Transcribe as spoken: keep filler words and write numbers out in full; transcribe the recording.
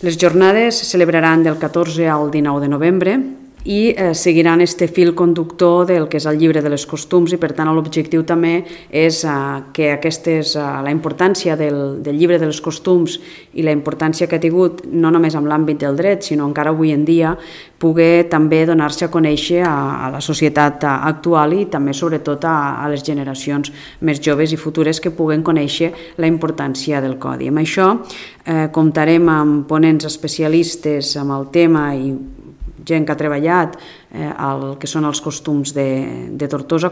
Les jornades se celebraran del catorze al dinou de novembre i eh, seguiran este fil conductor del que és el llibre de les costums i per tant l'objectiu també és eh, que aquestes, eh, la importància del, del llibre de les costums i la importància que ha tingut no només en l'àmbit del dret sinó encara avui en dia poder també donar-se a conèixer a, a la societat actual i també sobretot a, a les generacions més joves i futures que puguen conèixer la importància del codi. Amb això eh, comptarem amb ponents especialistes amb el tema i gent que ha treballat eh, el que són els costums de, de Tortosa,